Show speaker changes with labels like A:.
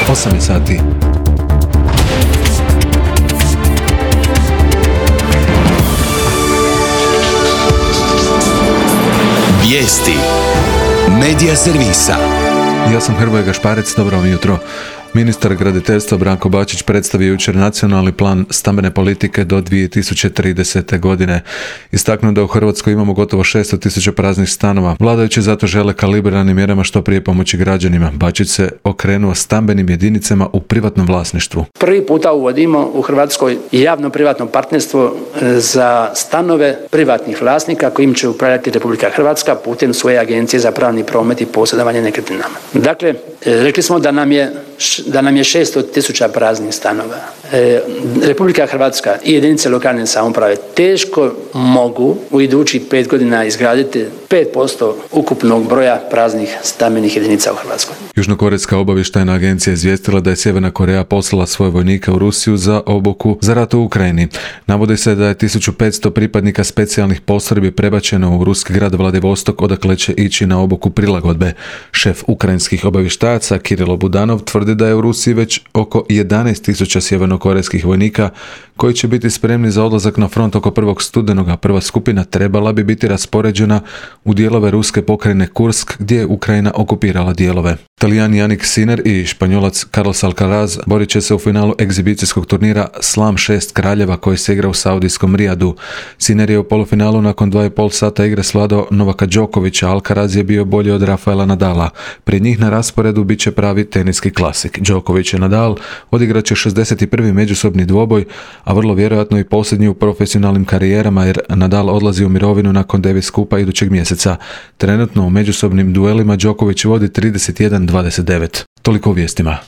A: 8 je sati.
B: Vijesti Medija servisa.
A: Ja sam Hrvoje Gašparec, dobro vam jutro. Ministar graditeljstva Branko Bačić predstavio jučer nacionalni plan stambene politike do 2030. godine. Istaknuo da u Hrvatskoj imamo gotovo 600.000 praznih stanova. Vladajući zato žele kalibriranim mjerama što prije pomoći građanima. Bačić se okrenuo stambenim jedinicama u privatnom vlasništvu.
C: Prvi puta uvodimo u Hrvatskoj javno-privatno partnerstvo za stanove privatnih vlasnika kojim će upravljati Republika Hrvatska putem svoje agencije za pravni promet i posjedovanje nekretninama. Dakle, rekli smo da nam je 600.000 praznih stanova. Republika Hrvatska i jedinice lokalne samouprave teško mogu u idućih 5 godina izgraditi 5% ukupnog broja praznih stambenih jedinica u Hrvatskoj.
A: Južnokorejska obavještajna agencija izvijestila da je Sjeverna Koreja poslala svoje vojnike u Rusiju za obuku za rat u Ukrajini. Navodi se da je 1500 pripadnika specijalnih postrojbi prebačeno u ruski grad Vladivostok, odakle će ići na obuku prilagodbe. Šef ukrajinskih obavještajaca Kirilo Budanov tvrdi da je u Rusiji već oko 11.000 sjevernokorejskih vojnika koji će biti spremni za odlazak na front oko 1. studenoga. Prva skupina trebala bi biti raspoređena u dijelove ruske pokrajine Kursk, gdje je Ukrajina okupirala dijelove. Talijan Jannik Sinner i Španjolac Carlos Alcaraz borit će se u finalu egzibicijskog turnira Slam 6 kraljeva koji se igra u saudijskom Rijadu. Sinner je u polufinalu nakon 2,5 sata igre svladao Novaka Đokovića, Alcaraz je bio bolji od Rafaela Nadala. Pred njih na rasporedu bit će pravi teniski klasik. Đoković i Nadal odigrat će 61. međusobni dvoboj, a vrlo vjerojatno i posljednji u profesionalnim karijerama jer Nadal odlazi u mirovinu nakon Davis Cupa idućeg mjeseca. Trenutno u međusobnim duelima Đoković vodi 31-29. Toliko u vijestima.